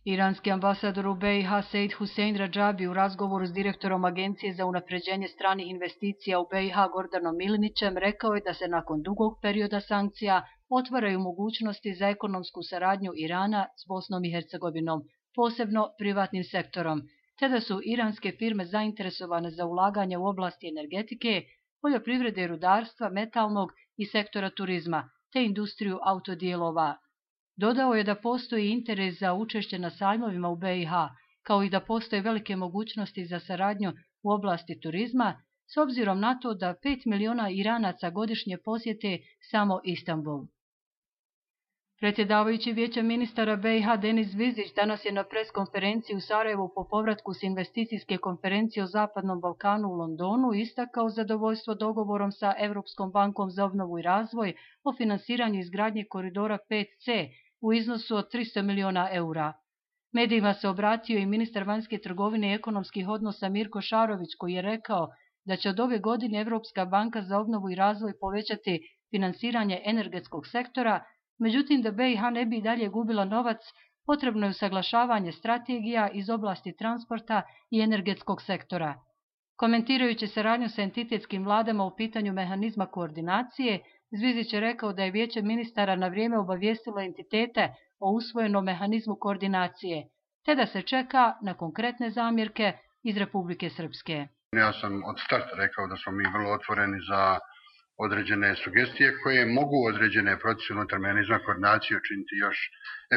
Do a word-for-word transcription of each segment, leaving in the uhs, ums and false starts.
Iranski ambasador u B i H Seid Husein Radžabi u razgovoru s direktorom Agencije za unapređenje stranih investicija u B i H Gordanom Milinićem rekao je da se nakon dugog perioda sankcija otvaraju mogućnosti za ekonomsku saradnju Irana s Bosnom i Hercegovinom, posebno privatnim sektorom, te da su iranske firme zainteresovane za ulaganje u oblasti energetike, poljoprivrede i rudarstva, metalnog i sektora turizma, te industriju autodijelova. Dodao je da postoji interes za učešće na sajmovima u B i H, kao i da postoje velike mogućnosti za saradnju u oblasti turizma, s obzirom na to da pet miliona Iranaca godišnje posjete samo Istanbul. Predsjedavajući Vijeća ministara B i H Denis Zvizić danas je na preskonferenciji u Sarajevu po povratku s investicijske konferencije o Zapadnom Balkanu u Londonu istakao zadovoljstvo dogovorom sa Evropskom bankom za obnovu i razvoj o finansiranju izgradnje koridora pet C u iznosu od tristo miliona eura. Medijima se obratio i ministar vanjske trgovine i ekonomskih odnosa Mirko Šarović, koji je rekao da će od ove godine Evropska banka za obnovu i razvoj povećati finansiranje energetskog sektora. Međutim, da B i H ne bi dalje gubila novac, potrebno je usaglašavanje strategija iz oblasti transporta i energetskog sektora. Komentirajući saradnju sa entitetskim vladama u pitanju mehanizma koordinacije, Zvizić je rekao da je Vijeće ministara na vrijeme obavijestilo entitete o usvojenom mehanizmu koordinacije, te da se čeka na konkretne zamjerke iz Republike Srpske. Ja sam od starta rekao da smo mi vrlo otvoreni za određene sugestije koje mogu određene procese unutar mehanizma koordinacije učiniti još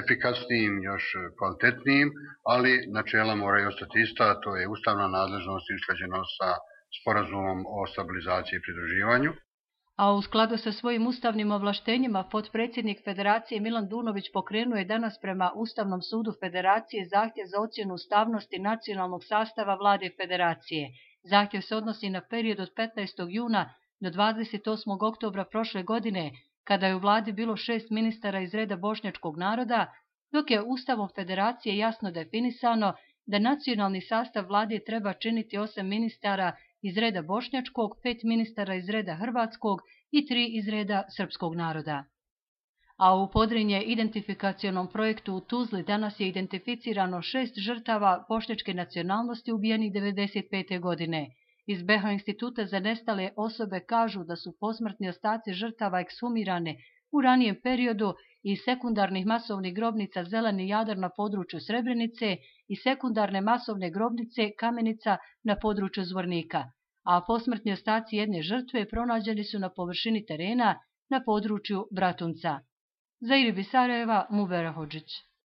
efikasnijim, još kvalitetnijim, ali načela moraju ostati ista, a to je ustavna nadležnost i usklađenost sa sporazumom o stabilizaciji i pridruživanju. A u skladu sa svojim ustavnim ovlaštenjima, potpredsjednik Federacije Milan Dunović pokrenuo je danas prema Ustavnom sudu Federacije zahtjev za ocjenu ustavnosti nacionalnog sastava vlade Federacije. Zahtjev se odnosi na period od petnaestog juna do dvadeset osmog oktobra prošle godine, kada je u vladi bilo šest ministara iz reda bošnjačkog naroda, dok je Ustavom Federacije jasno definisano da nacionalni sastav vlade treba činiti osam ministara iz reda bošnjačkog, pet ministara iz reda hrvatskog i tri iz reda srpskog naroda. A u Podrinje identifikacionom projektu u Tuzli danas je identificirano šest žrtava bošnjačke nacionalnosti ubijenih devedeset pete godine. Iz B H Instituta za nestale osobe kažu da su posmrtni ostaci žrtava ekshumirane u ranijem periodu iz sekundarnih masovnih grobnica Zeleni Jadar na području Srebrenice i sekundarne masovne grobnice Kamenica na području Zvornika, a posmrtni ostaci jedne žrtve pronađeni su na površini terena na području Bratunca. Za Iribi Sarajeva, Mubera Hodžić.